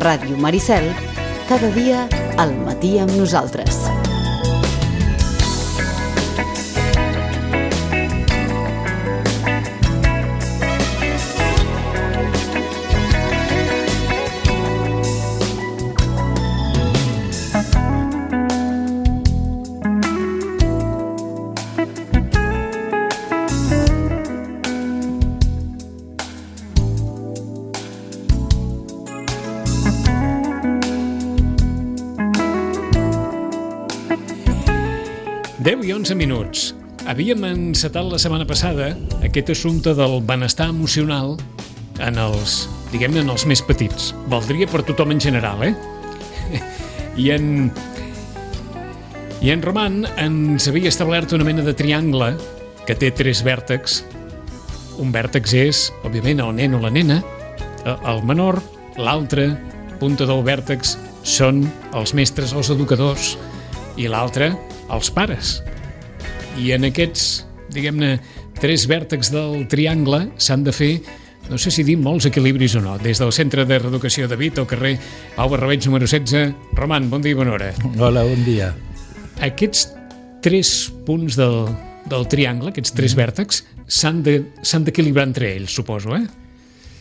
Ràdio Maricel, cada dia al matí amb nosaltres. I 11 minuts. Havíem encetat la setmana passada aquest assumpte del benestar emocional en els més petits. Valdria per tothom en general, I en Roman ens havia establert una mena de triangle que té 3 vèrtexs. Un vèrtex és, òbviament, el nen o la nena, el menor, l'altre punta del vèrtex són els mestres, els educadors, i l'altre, els pares. I en aquests, 3 vèrtexs del triangle s'han de fer, no sé si dir molts equilibris o no, des del Centre de Reeducació de Vit al carrer Pau Barrabeig número 16. Roman, bon dia i bona hora. Hola, bon dia. Aquests 3 punts del triangle, aquests 3 vèrtexs, s'han d'equilibrar entre ells, suposo,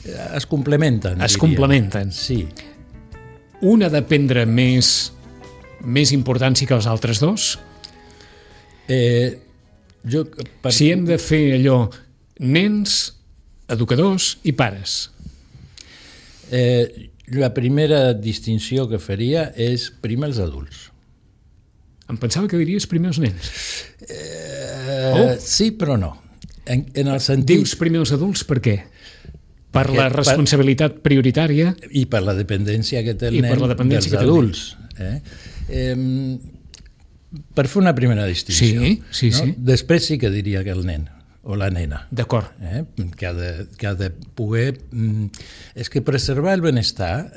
Es complementen, Es complementen. Sí. Un ha de prendre més importància que els altres dos? Si hem de fer allò, nens, educadors i pares. La primera distinció que faria és primer els adults. Em pensava que diries primer els nens. Sí, però no. En el sentit... Dius primer els adults per què? Per la responsabilitat prioritària? I per la dependència que té el nen dels adults. Per fer una primera distinció. Sí. Després sí que diria que el nen o la nena. D'acord. Que ha de poder... És que preservar el benestar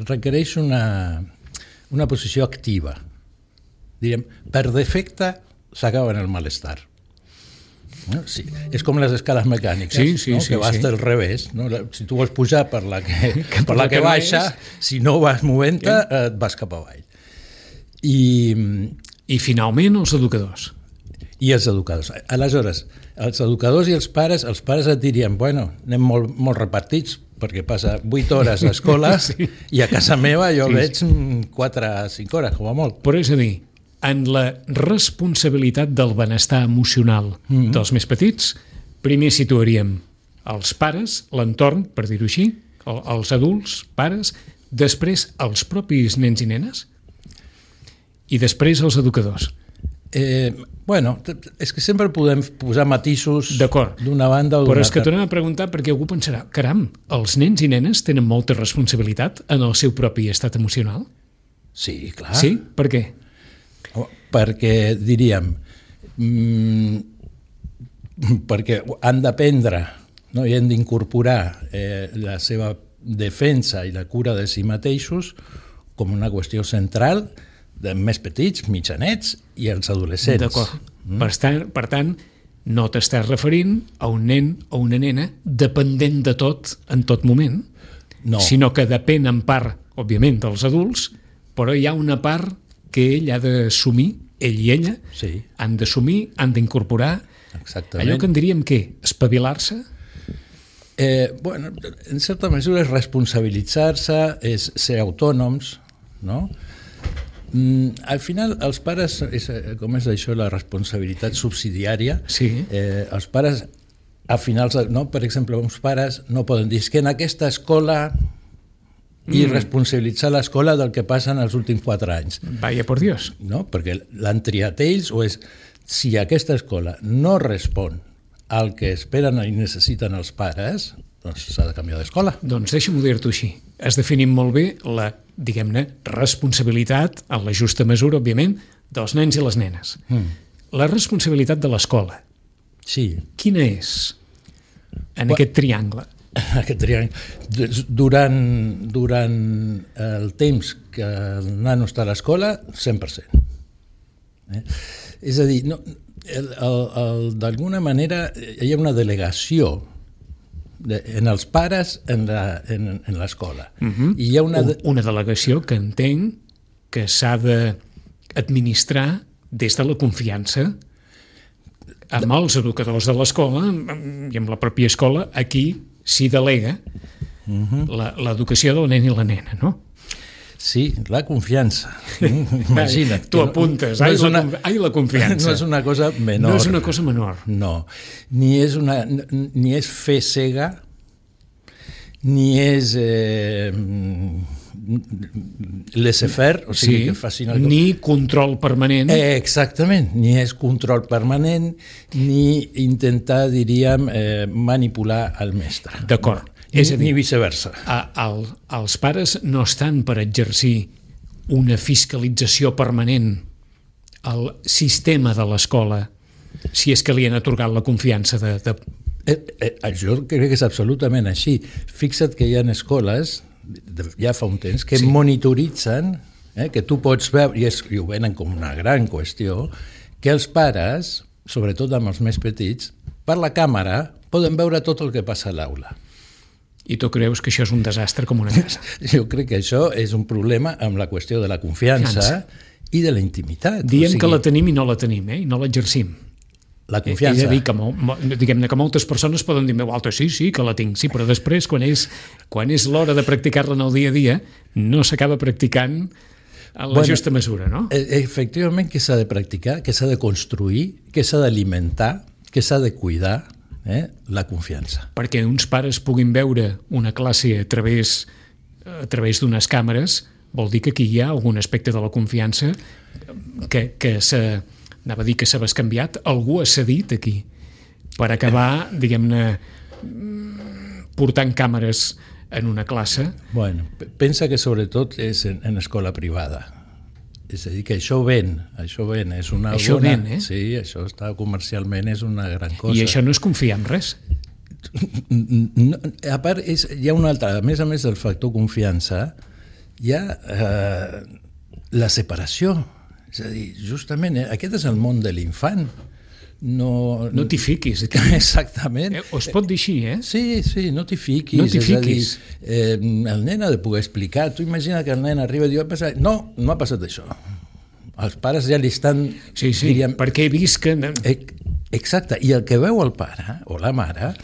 requereix una posició activa. Diríem, per defecte s'acaba en el malestar. Sí. És com les escales mecàniques, que vas del revés. Si tu vols pujar per la que baixa, si no vas movent-te, et vas cap avall. I finalment els educadors. I els educadors. Aleshores, els educadors i els pares et dirien, anem molt repartits, perquè passa 8 hores a escola i a casa meva jo veig 4 o 5 hores, com a molt. Però és a dir, en la responsabilitat del benestar emocional dels més petits, primer situaríem els pares, l'entorn, per dir-ho així, els adults, pares, després els propis nens i nenes, i després els educadors. És que sempre podem posar matisos d'una banda o d'una altra. Però és que tornem a preguntar perquè algú pensarà, caram, els nens i nenes tenen molta responsabilitat en el seu propi estat emocional? Sí, clar. Sí? Per què? Perquè, diríem, perquè han d'aprendre i han d'incorporar la seva defensa i la cura de si mateixos com una qüestió central de més petits, mitjanets i els adolescents. D'acord. Per tant, no t'estàs referint a un nen o una nena dependent de tot en tot moment, sinó que depèn en part, òbviament, dels adults, però hi ha una part que ell ha d'assumir, ell i ella, han d'assumir, han d'incorporar. Allò que en diríem, què? Espavilar-se? En certa mesura és responsabilitzar-se, és ser autònoms, no? Al final, els pares, com és això, la responsabilitat subsidiària, els pares, a finals, per exemple, uns pares no poden dir que en aquesta escola i responsabilitzar l'escola del que passa en els últims 4 anys. Vaya por Dios. No, perquè l'han triat ells, o és, si aquesta escola no respon al que esperen i necessiten els pares, doncs s'ha de canviar d'escola. Doncs deixa'm-ho dir-t'ho així. Has definit molt bé la, responsabilitat, en la justa mesura, òbviament, dels nens i les nenes. La responsabilitat de l'escola. Sí. Quina és en aquest triangle? Aquest triangle. Durant el temps que el nano està a l'escola, 100%. És a dir, d'alguna manera hi ha una delegació en els pares en l'escola. I hi ha una delegació que entenc que s'ha d'administrar des de la confiança amb els educadors de l'escola i amb la pròpia escola. Aquí s'hi delega l'educació del nen i la nena, no? Sí, la confiança. Imagina't. Tu apuntes, la confiança. No és una cosa menor. No és una cosa menor. No, ni és fe cega, ni és laissez-faire, o sigui, que facin alguna cosa. Ni control permanent. Exactament, ni és control permanent, ni intentar, diríem, manipular el mestre. D'acord. És a dir, ni viceversa. Els pares no estan per exercir una fiscalització permanent al sistema de l'escola si és que li han atorgat la confiança de... Jo crec que és absolutament així. Fixa't que hi ha escoles, ja fa un temps, que monitoritzen, que tu pots veure, i ho venen com una gran qüestió, que els pares, sobretot amb els més petits, per la càmera poden veure tot el que passa a l'aula. I tu creus que això és un desastre com una casa? Jo crec que això és un problema amb la qüestió de la confiança i de la intimitat. Diem que la tenim i no la tenim, i no l'exercim. La confiança. És a dir, diguem-ne que moltes persones poden dir, sí, que la tinc, sí, però després, quan és l'hora de practicar-la en el dia a dia, no s'acaba practicant en la justa mesura, no? Efectivament, que s'ha de practicar, que s'ha de construir, que s'ha d'alimentar, que s'ha de cuidar, la confiança. Perquè uns pares puguin veure una classe a través d'unes càmeres, vol dir que aquí hi ha algun aspecte de la confiança que anava a dir que s'ha bescanviat, algú ha cedit aquí per acabar, diguem-ne, portant càmeres en una classe. Bueno, pensa que sobretot és en escola privada. És a dir, que això ven, és una... Això ven, Sí, això està comercialment, és una gran cosa. I això no és confiar en res? No, a part, hi ha una altra, a més del factor confiança, hi ha la separació. És a dir, justament, aquest és el món de l'infant. No t'hi fiquis. Exactament. O es pot dir així, Sí, no t'hi fiquis. No t'hi fiquis. El nen ha de poder explicar. Tu imagina que el nen arriba i diu, no ha passat això. Els pares ja li estan... Sí, diríem, perquè he vist que... Exacte, i el que veu el pare o la mare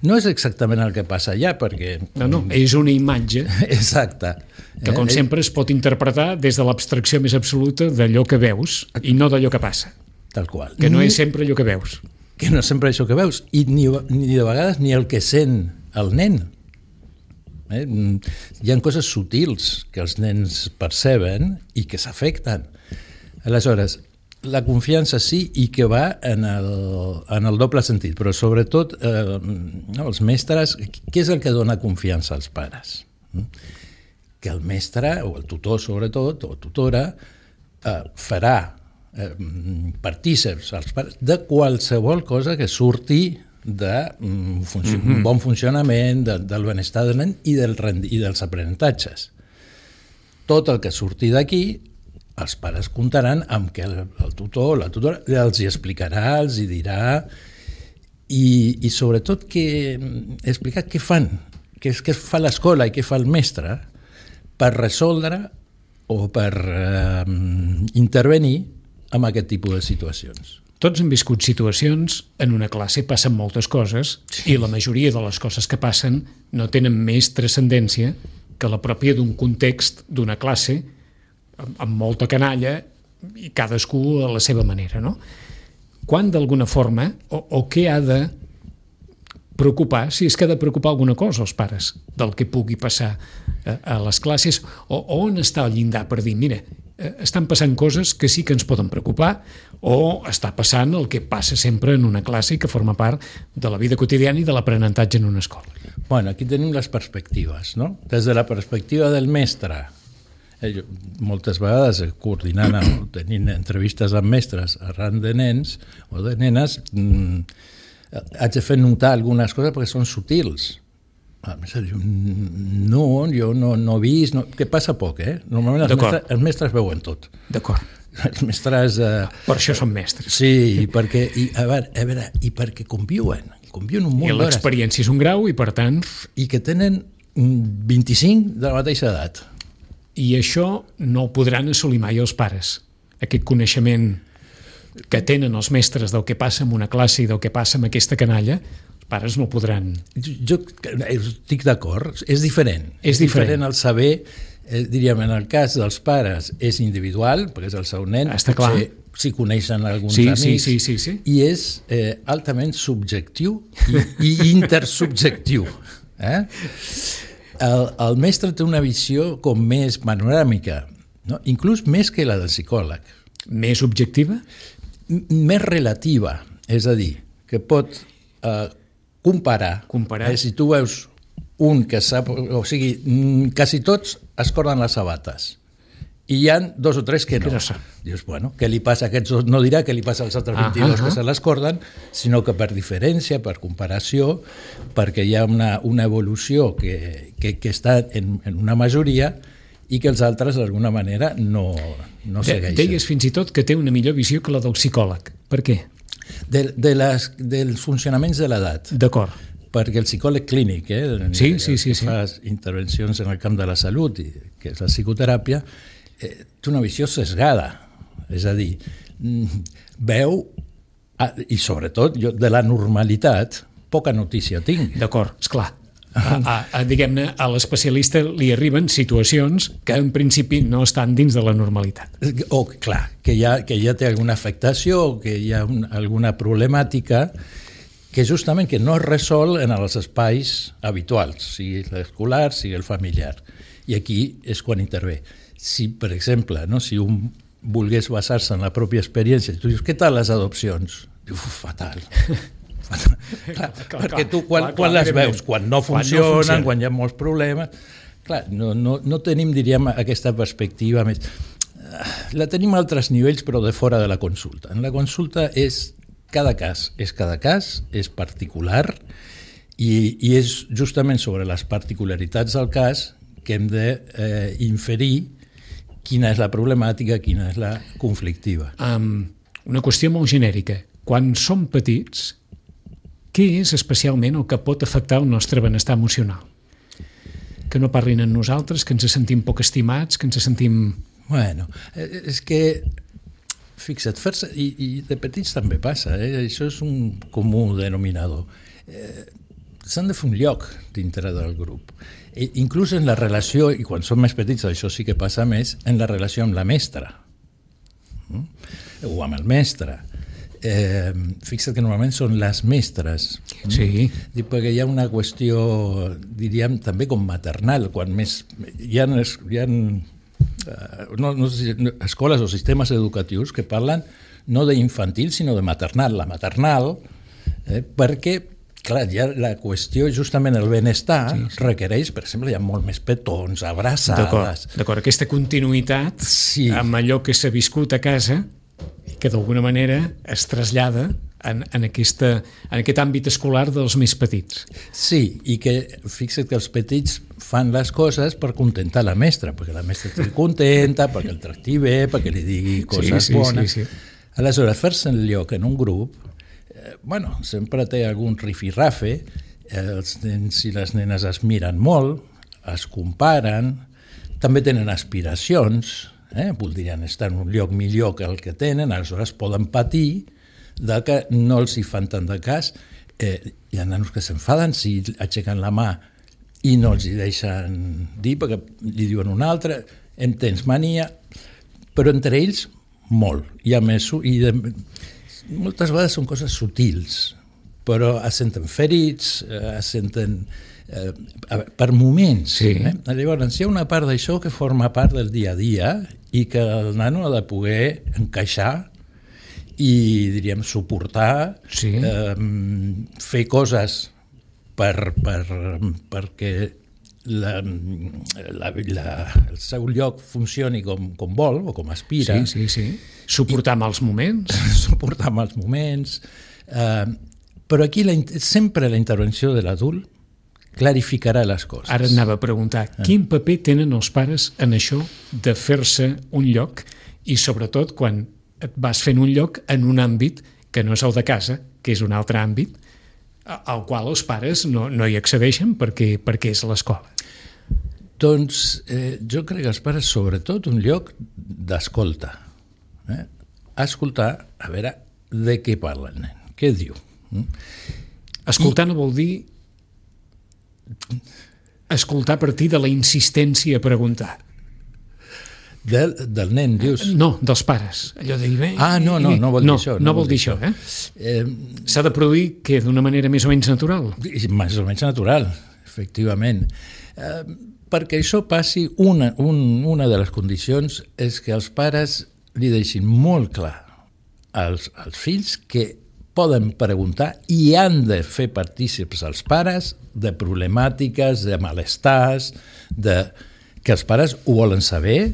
no és exactament el que passa allà, perquè... No, és una imatge. Exacte. Que, com sempre, es pot interpretar des de l'abstracció més absoluta d'allò que veus i no d'allò que passa. Tal qual. Que no és sempre allò que veus. Que no és sempre això que veus. I ni de vegades ni el que sent el nen. Hi ha coses sutils que els nens perceben i que s'afecten. Aleshores, la confiança sí, i que va en el doble sentit, però sobretot els mestres, què és el que dona confiança als pares? Que el mestre, o el tutor sobretot, o tutora, farà partíceps als pares de qualsevol cosa que surti d'un bon funcionament, del benestar del nen i dels aprenentatges. Tot el que surti d'aquí, els pares comptaran amb que el tutor o la tutora els hi explicarà, els hi dirà, i sobretot explicar què fan, què fa l'escola i què fa el mestre per resoldre o per intervenir en aquest tipus de situacions. Tots hem viscut situacions, en una classe passen moltes coses, i la majoria de les coses que passen no tenen més transcendència que la pròpia d'un context, d'una classe, amb molta canalla, i cadascú a la seva manera, no? Quan d'alguna forma, o què ha de preocupar, si és que ha de preocupar alguna cosa als pares del que pugui passar a les classes, o on està el llindar per dir, mira, estan passant coses que sí que ens poden preocupar, o està passant el que passa sempre en una classe i que forma part de la vida quotidiana i de l'aprenentatge en una escola. Bueno, aquí tenim les perspectives, no? Des de la perspectiva del mestre, jo, moltes vegades coordinant o tenint entrevistes amb mestres arran de nens o de nenes, haig de fer notar algunes coses perquè són sutils. No, jo no he vist, que passa poc, Normalment els mestres veuen tot. D'acord. Els mestres... Per això són mestres. Sí, i perquè conviuen. conviuen un munt I d'hores. l'experiència és un grau i, per tant... I que tenen 25 de la mateixa edat. I això no ho podran assolir mai els pares. Aquest coneixement que tenen els mestres del que passa en una classe i del que passa amb aquesta canalla, els pares no podran... Jo estic d'acord, és diferent. És diferent el saber, diríem, en el cas dels pares és individual, perquè és el seu nen, està clar. Si coneixen alguns sí, amics, sí. I és altament subjectiu i intersubjectiu. El mestre té una visió com més panoràmica, no? Inclús més que la del psicòleg. Més objectiva? Més relativa, és a dir, que pot comparar. Si tu veus un que sap, o sigui, quasi tots es corden les sabates i hi ha 2 o 3 que no. Dius, bueno, què li passa a aquests dos? No dirà què li passa als altres 22 que se les corden, sinó que per diferència, per comparació, perquè hi ha una evolució que està en una majoria i que els altres d'alguna manera no segueixen. Deies fins i tot que té una millor visió que la del psicòleg. Per què? Dels funcionaments de l'edat. D'acord. Perquè el psicòleg clínic, sí. fa intervencions en el camp de la salut, que és la psicoteràpia, té una visió sesgada. És a dir, veu, i sobretot jo de la normalitat, poca notícia tinc. D'acord, esclar. Diguem-ne, a l'especialista li arriben situacions que en principi no estan dins de la normalitat. O, clar, que ja té alguna afectació o que hi ha alguna problemàtica que justament que no es resol en els espais habituals, sigui l'escolar, sigui el familiar. I aquí és quan intervé. Si, per exemple, si un volgués basar-se en la pròpia experiència, tu dius, què tal les adopcions? Diu, fatal. Clar, perquè tu quan les veus, quan no funcionen, quan hi ha molts problemes, clar, no tenim, diríem, aquesta perspectiva més. La tenim a altres nivells, però de fora de la consulta. En la consulta cada cas és particular i és justament sobre les particularitats del cas que hem d'inferir quina és la problemàtica, quina és la conflictiva. Una qüestió molt genèrica. Quan som petits, què és especialment el que pot afectar el nostre benestar emocional? Que no parlin amb nosaltres, que ens sentim poc estimats, que ens sentim... Bueno, és que, fixa't, i de petits també passa, això és un comú denominador. S'han de fer un lloc dintre del grup. Inclús en la relació, i quan som més petits això sí que passa més, en la relació amb la mestra o amb el mestre. Fixa't que normalment són les mestres. Sí. Perquè hi ha una qüestió, diríem, també com maternal, quan més hi ha no sé si escoles o sistemes educatius que parlen no d'infantil sinó de maternal. La maternal, perquè clar, ja la qüestió, justament el benestar, requereix, per exemple, hi ha molt més petons, abraçades... D'acord, aquesta continuïtat amb allò que s'ha viscut a casa que d'alguna manera es trasllada en aquest àmbit escolar dels més petits. Sí, i que fixa't que els petits fan les coses per contentar la mestra, perquè la mestra estigui contenta, perquè el tracti bé, perquè li digui coses bones. Sí. Aleshores, fer-se en lloc en un grup, sempre té algun rifirrafe, els nens i les nenes es miren molt, es comparen, també tenen aspiracions, voldrien estar en un lloc millor que el que tenen, aleshores poden patir de que no els hi fan tant de cas. Hi ha nanos que s'enfaden si aixequen la mà i no els hi deixen dir perquè li diuen un altre, en tens mania, però entre ells molt. Moltes vegades són coses sutils, però es senten ferits, es senten per moments. Sí. Llavors, hi ha una part d'això que forma part del dia a dia i que el nano ha de poder encaixar i, diríem, suportar, fer coses perquè el seu lloc funcioni com vol o com aspira. Sí. Suportar mals moments. Suportar mals moments. Però aquí sempre la intervenció de l'adult clarificarà les coses. Ara anava a preguntar, quin paper tenen els pares en això de fer-se un lloc i sobretot quan et vas fent un lloc en un àmbit que no és el de casa, que és un altre àmbit, al qual els pares no hi accedeixen perquè és l'escola. Doncs jo crec que els pares, sobretot, un lloc d'escolta. Escoltar, a veure de què parla el nen, què diu. Escoltar no vol dir escoltar a partir de la insistència a preguntar. Del nen, dius? No, dels pares. Allò de dir, no vol dir això. No vol dir això, s'ha de produir que d'una manera més o menys natural. Més o menys natural, efectivament. Perquè això passi, una de les condicions és que els pares li deixin molt clar als fills que poden preguntar i han de fer partícips als pares de problemàtiques, de malestars, que els pares ho volen saber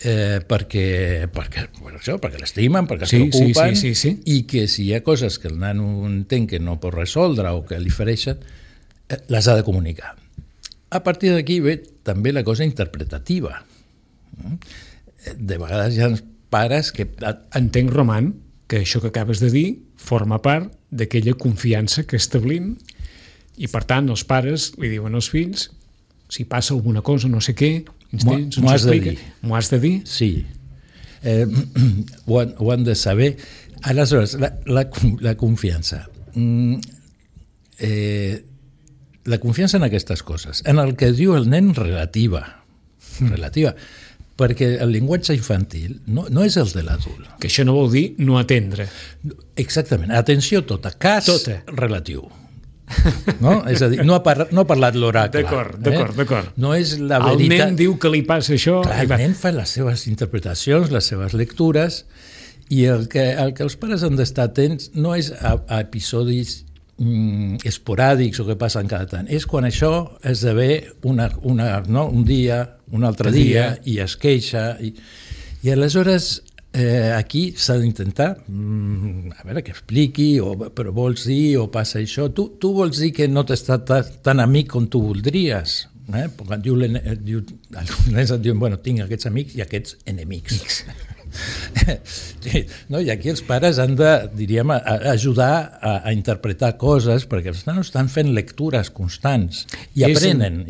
perquè l'estimen, perquè es preocupen, sí. I que si hi ha coses que el nano entén que no pot resoldre o que li fereixen, les ha de comunicar. A partir d'aquí ve també la cosa interpretativa. De vegades hi ha pares que... Entenc, Roman, que això que acabes de dir forma part d'aquella confiança que establim i, per tant, els pares li diuen als fills si passa alguna cosa, no sé què, m'ho has de dir. M'ho has de dir? Sí. Ho han de saber. Aleshores, la confiança. La confiança en aquestes coses, en el que diu el nen relativa, perquè el llenguatge infantil no és el de l'adult. Que això no vol dir no atendre. Exactament, atenció tota, cas tota. Relatiu. No? És a dir, no ha parlat l'oracle. D'acord. No és la veritat. El nen diu que li passa això. Clar, el nen fa les seves interpretacions, les seves lectures, i el que els pares han d'estar atents no és a episodis esporàdics o que passen cada tant. És quan això esdevé un dia, un altre dia, i es queixa. I aleshores aquí s'ha d'intentar a veure, que expliqui, però vols dir, o passa això. Tu vols dir que no t'està tan amic com tu voldries. Perquè els nens et diuen, bueno, tinc aquests amics i aquests enemics. No, i aquí els pares han de, diríem, ajudar a interpretar coses, perquè els nanos estan fent lectures constants i aprenen.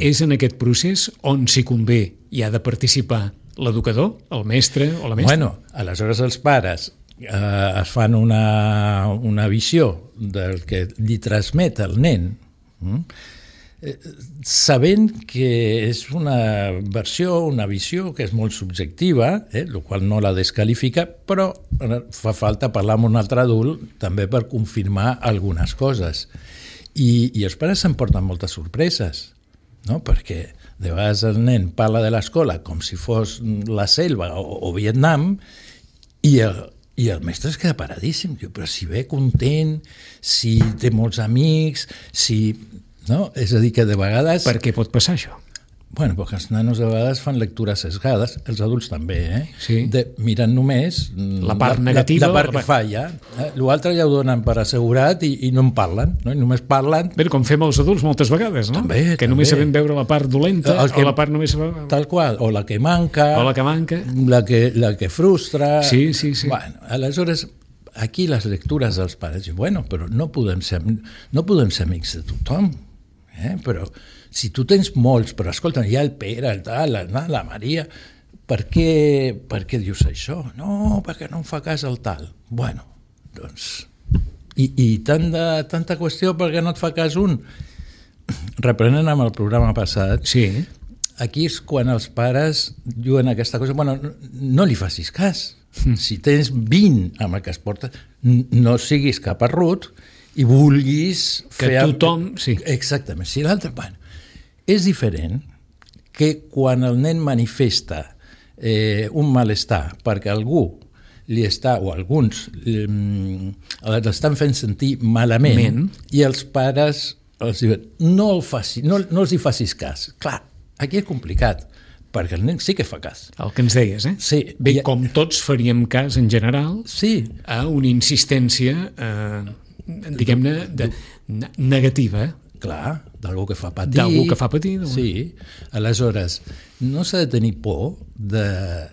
És en aquest procés on s'hi convé i ha de participar l'educador, el mestre o la mestra? Bueno, aleshores els pares es fan una visió del que li transmet el nen, sabent que és una versió, una visió que és molt subjectiva, el qual no la descalifica, però fa falta parlar amb un altre adult també per confirmar algunes coses. I els pares s'emporten moltes sorpreses, no? Perquè de vegades el nen parla de l'escola com si fos la selva o Vietnam i el mestre es queda paradíssim. Diu, però si ve content, si té molts amics, si... No? És a dir, que de vegades... Per què pot passar això? Bueno, perquè els nanos de vegades fan lectures sesgades, els adults també, Sí. Miren només la part negativa, la part que falla. L'altre ja ho donen per assegurat i no en parlen, no? I només parlen... Bé, com fem els adults moltes vegades, no? També, que només sabem veure la part dolenta o la part només... Tal qual, o la que manca... O la que manca. La que frustra... Sí. Bueno, aleshores... Aquí les lectures dels pares diuen, bueno, però no podem ser amics de tothom, però si tu tens molts, però escolta, hi ha el Pere, el tal, la Maria, per què dius això? No, perquè no em fa cas el tal. Bueno, doncs... I tanta qüestió perquè no et fa cas un. Reprenent amb el programa passat, sí. Aquí és quan els pares diuen aquesta cosa, bueno, no li facis cas. Si tens 20 amb el que es porta, no siguis cap arrut i vulguis que fer... tothom... Sí. Exactament. Si l'altre... Bueno, és diferent que quan el nen manifesta un malestar perquè algú li està, o alguns l'estan fent sentir malament i els pares els diuen no els hi facis cas. Clar, aquí és complicat, perquè el nen sí que fa cas. El que ens deies, Sí. Bé, com tots faríem cas en general a una insistència, diguem-ne, negativa. Clar, d'algú que fa patir. D'algú que fa patir. Sí. Aleshores, no s'ha de tenir por de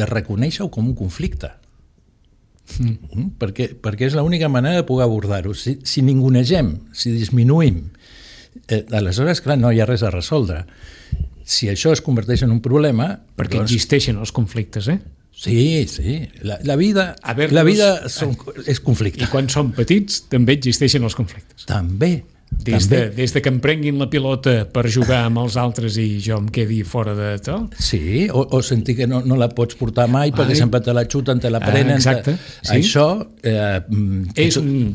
reconèixer-ho com un conflicte. perquè és l'única manera de poder abordar-ho. Si ningunegem, si disminuïm, aleshores, clar, no hi ha res a resoldre. Si això es converteix en un problema... Perquè existeixen els conflictes, eh? Sí. La vida és conflicte. I quan som petits també existeixen els conflictes. També. Des de que em prenguin la pilota per jugar amb els altres i jo em quedi fora de tot. Sí, o sentir que no la pots portar mai perquè sempre te la xuten, te la prenen. Exacte. Sí. Això... és un...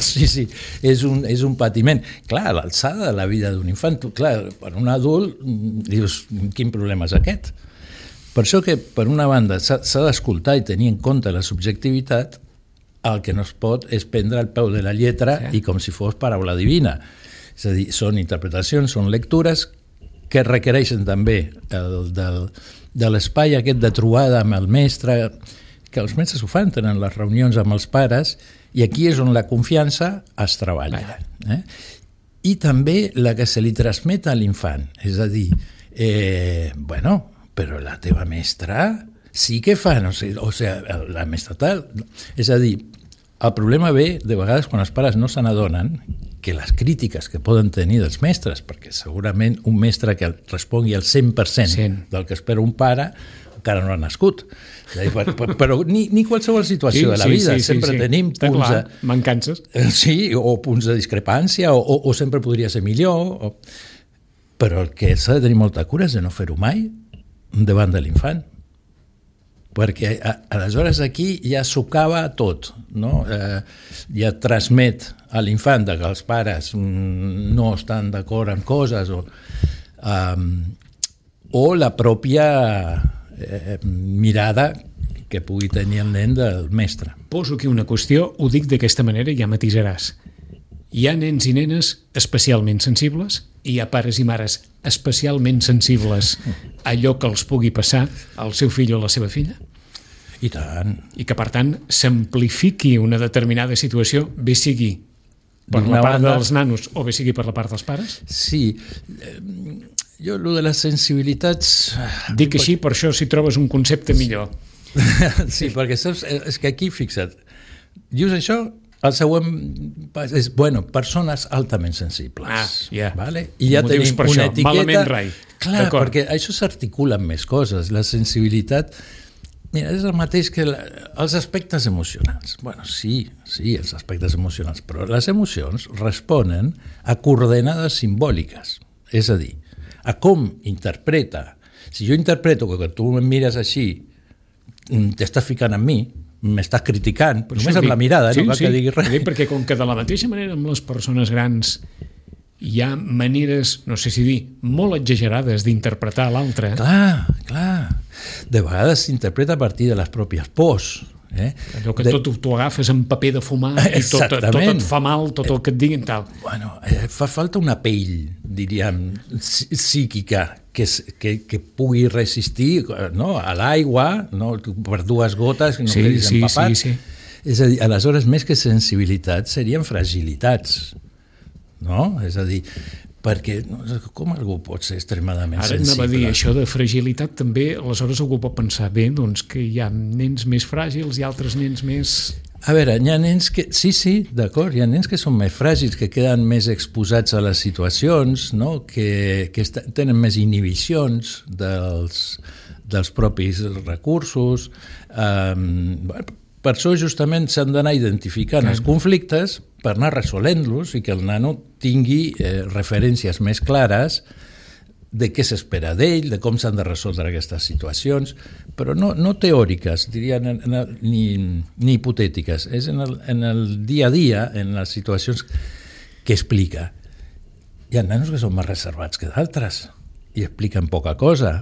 Sí, és un patiment. Clar, l'alçada de la vida d'un infant, clar, per un adult dius, quin problema és aquest? Per això que, per una banda, s'ha d'escoltar i tenir en compte la subjectivitat. El que no es pot és prendre el peu de la lletra i com si fos paraula divina. És a dir, són interpretacions, són lectures que requereixen també de l'espai aquest de trobada amb el mestre, que els mestres ho fan, tenen les reunions amb els pares, i aquí és on la confiança es treballa. I també la que se li transmet a l'infant, és a dir, però la teva mestra... sí que fan, o sigui, la mestra tal... És a dir, el problema ve de vegades quan els pares no se n'adonen que les crítiques que poden tenir dels mestres, perquè segurament un mestre que respongui al 100% del que espera un pare encara no ha nascut. Però ni qualsevol situació de la vida. Sempre tenim punts de... mancances. Sí, o punts de discrepància, o sempre podria ser millor. Però el que s'ha de tenir molta cura és de no fer-ho mai davant de l'infant. Perquè aleshores aquí ja socava tot, no? Ja transmet a l'infant que els pares no estan d'acord amb coses o la pròpia mirada que pugui tenir el nen del mestre. Poso aquí una qüestió, ho dic d'aquesta manera i ja matisaràs. Hi ha nens i nenes especialment sensibles i hi ha pares i mares especialment sensibles a allò que els pugui passar al seu fill o a la seva filla? I tant. I que, per tant, s'amplifiqui una determinada situació, bé sigui per la part dels nanos o bé sigui per la part dels pares? Sí. Jo, allò de les sensibilitats... Dic així, per això si trobes un concepte millor. Sí, perquè saps, és que aquí, fixa't, dius això, el següent és, persones altament sensibles. Vale? I ja tenim una etiqueta... Malament rai. Clar, perquè això s'articula amb més coses. La sensibilitat... Mira, és el mateix que els aspectes emocionals. Sí, els aspectes emocionals, però les emocions responen a coordenades simbòliques. És a dir, a com interpreta. Si jo interpreto que tu em mires així, t'estàs ficant en mi, m'estàs criticant, només amb la mirada, no cal que digui res. Perquè com que de la mateixa manera amb les persones grans hi ha maneres, no sé si dir, molt exagerades d'interpretar l'altre. Clar. De vegades s'interpreta a partir de les pròpies pors. Allò que tot t'ho agafes en paper de fumar i tot et fa mal, tot el que et diguin tal. Fa falta una pell, diríem, psíquica, que pugui resistir a l'aigua, per dues gotes, que no quedis empapat. És a dir, aleshores, més que sensibilitat, serien fragilitats. No? És a dir, perquè com algú pot ser extremadament sensible? Ara anava a dir, això de fragilitat també, aleshores algú pot pensar bé, doncs que hi ha nens més fràgils i altres nens més... A veure, hi ha nens que... Sí, d'acord, hi ha nens que són més fràgils, que queden més exposats a les situacions, no? que tenen més inhibicions dels propis recursos. Per això justament s'han d'anar identificant els conflictes per anar resolent-los i que el nano tingui referències més clares de què s'espera d'ell, de com s'han de resoldre aquestes situacions, però no teòriques, diria, ni hipotètiques. És en el dia a dia, en les situacions que explica. Hi ha nanos que són més reservats que d'altres i expliquen poca cosa,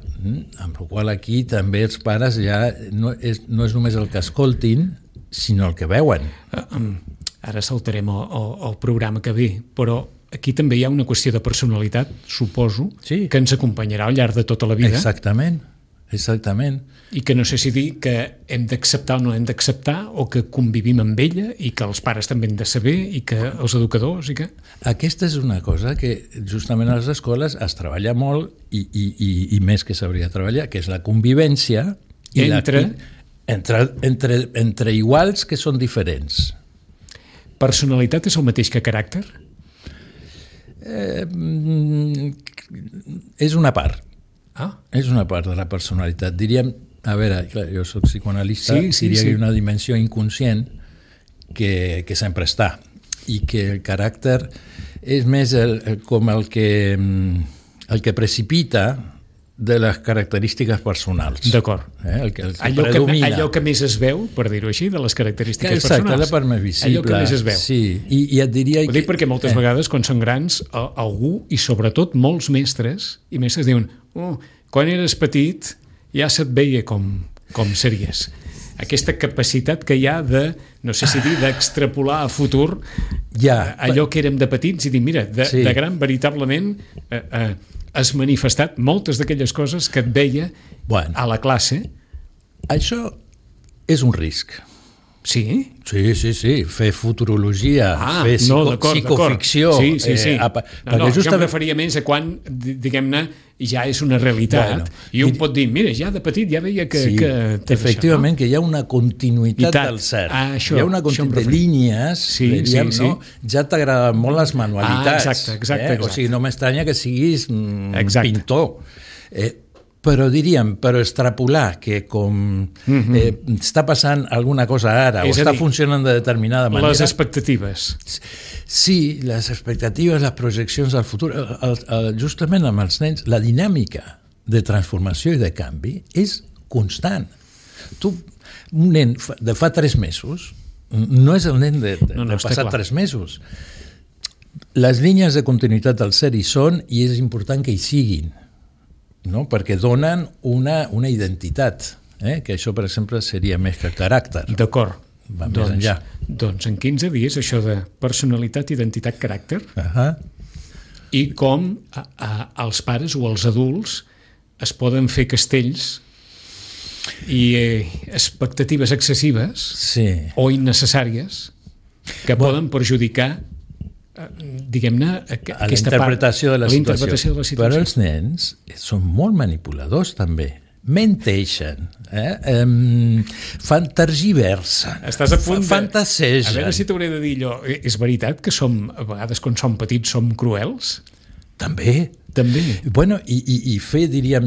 amb la qual aquí també els pares ja no és només el que escoltin, sinó el que veuen. Ara saltarem al programa que ve, però aquí també hi ha una qüestió de personalitat, suposo, que ens acompanyarà al llarg de tota la vida. Exactament. I que no sé si dir que hem d'acceptar o no hem d'acceptar, o que convivim amb ella i que els pares també hem de saber i que els educadors i que... Aquesta és una cosa que justament a les escoles es treballa molt i més que s'hauria de treballar, que és la convivència Entre iguals que són diferents. Personalitat és el mateix que caràcter? És una part. Ah. És una part de la personalitat. Diríem, a veure, clar, jo soc psicoanalista, diria que hi ha una dimensió inconscient que sempre està i que el caràcter és més com el que precipita de les característiques personals. D'acord. El que predomina. Allò que més es veu, per dir-ho així, de les característiques personals. Exacte, la part més visible. Allò que més es veu. Sí, i et diria... Ho dic perquè moltes vegades, quan són grans, algú, i sobretot molts mestres, i mestres diuen, quan eres petit ja se't veia com series. Aquesta capacitat que hi ha de, no sé si dir, d'extrapolar a futur allò que érem de petits i dir, mira, de gran veritablement has manifestat moltes d'aquelles coses que et veia a la classe. Això és un risc. Sí? Sí. Fer futurologia, fer psicoficció... Sí. Jo em referia més a quan, diguem-ne, ja és una realitat i un pot dir, mira, ja de petit ja veia que... Efectivament, que hi ha una continuïtat del cert. Hi ha una continuïtat de línies, diríem, no? Ja t'agraden molt les manualitats. Exacte. O sigui, no m'estranya que siguis pintor. Però diríem, extrapolar que com està passant alguna cosa ara o està funcionant de determinada manera... Les expectatives. Sí, les expectatives, les projeccions al futur. Justament amb els nens, la dinàmica de transformació i de canvi és constant. Un nen de fa 3 mesos no és el nen de passat 3 mesos. Les línies de continuïtat del ser hi són i és important que hi siguin. No? Perquè donen una identitat, que això, per exemple, seria més que caràcter. D'acord. Va més enllà. Doncs en 15 dies això de personalitat, identitat, caràcter, i com els pares o els adults es poden fer castells i expectatives excessives o innecessàries que poden perjudicar diguem-ne, a la interpretació de la situació. Però els nens són molt manipuladors també, menteixen, tergiversen, estàs a punt fantasegen. A veure si t'hauré de dir allò, és veritat que a vegades quan som petits som cruels? També. Bueno, i fer, diríem...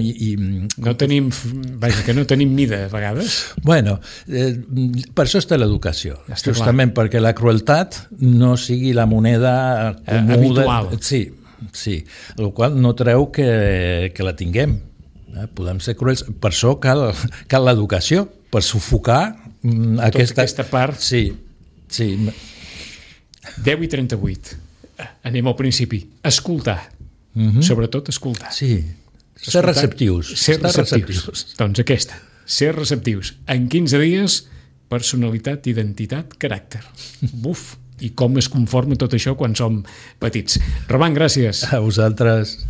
que no tenim mida, a vegades. Bueno, per això està l'educació. Justament perquè la crueltat no sigui la moneda habitual. Sí. El qual no treu que la tinguem. Podem ser cruels. Per això cal l'educació, per sufocar aquesta part. Sí. 10:38. Anem al principi. Escoltar. Sobretot escoltar. Sí. Ser receptius. Doncs aquesta. Ser receptius. En 15 dies, personalitat, identitat, caràcter. Buf! I com es conforma tot això quan som petits. Roman, gràcies. A vosaltres.